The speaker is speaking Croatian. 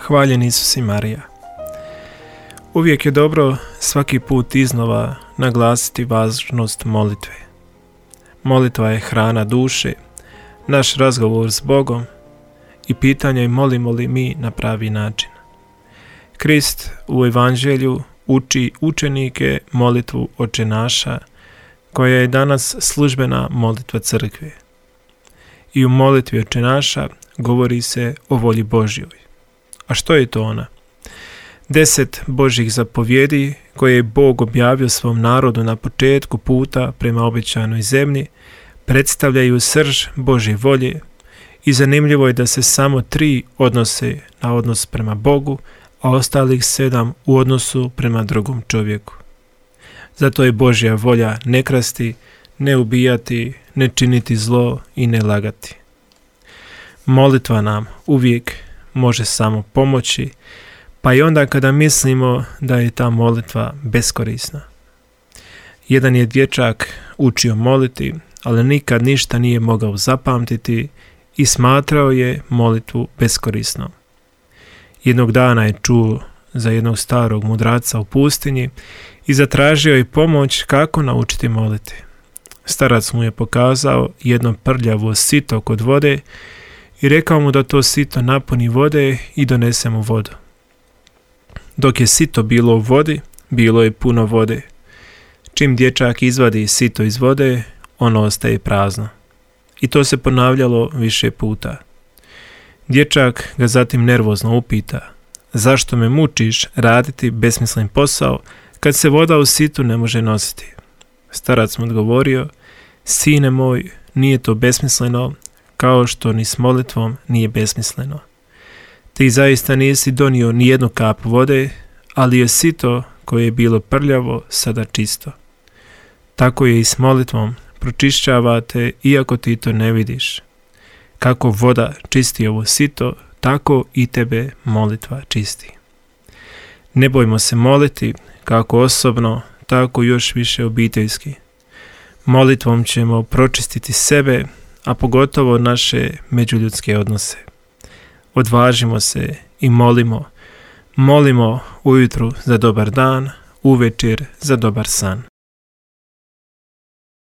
Hvaljen Isus i Marija. Uvijek je dobro svaki put iznova naglasiti važnost molitve. Molitva je hrana duše, naš razgovor s Bogom i pitanje molimo li mi na pravi način. Krist u Evanđelju uči učenike molitvu Oče naša, koja je danas službena molitva crkve. I u molitvi Oče naša govori se o volji Božjoj. A što je to ona? 10 Božjih zapovjedi koje je Bog objavio svom narodu na početku puta prema obećanoj zemlji predstavljaju srž Božje volje i zanimljivo je da se samo 3 odnose na odnos prema Bogu, a ostalih 7 u odnosu prema drugom čovjeku. Zato je Božja volja ne krasti, ne ubijati, ne činiti zlo i ne lagati. Molitva nam uvijek može samo pomoći, pa i onda kada mislimo da je ta molitva beskorisna. Jedan je dječak učio moliti, ali nikad ništa nije mogao zapamtiti i smatrao je molitvu beskorisnom. Jednog dana je čuo za jednog starog mudraca u pustinji i zatražio je pomoć kako naučiti moliti. Starac mu je pokazao jedno prljavo sito kod vode i rekao mu da to sito napuni vode i donese mu vodu. Dok je sito bilo u vodi, bilo je puno vode. Čim dječak izvadi sito iz vode, ono ostaje prazno. I to se ponavljalo više puta. Dječak ga zatim nervozno upita: zašto me mučiš raditi besmislen posao kad se voda u situ ne može nositi? Starac mu odgovorio: sine moj, nije to besmisleno, kao što ni s molitvom nije besmisleno. Ti zaista nisi donio ni jednu kap vode, ali je sito koje je bilo prljavo sada čisto. Tako je i s molitvom, pročišćavate iako ti to ne vidiš. Kako voda čisti ovo sito, tako i tebe molitva čisti. Ne bojmo se moliti, kako osobno, tako još više obiteljski. Molitvom ćemo pročistiti sebe, a pogotovo naše međuljudske odnose. Odvažimo se i molimo. Molimo ujutru za dobar dan, uvečer za dobar san.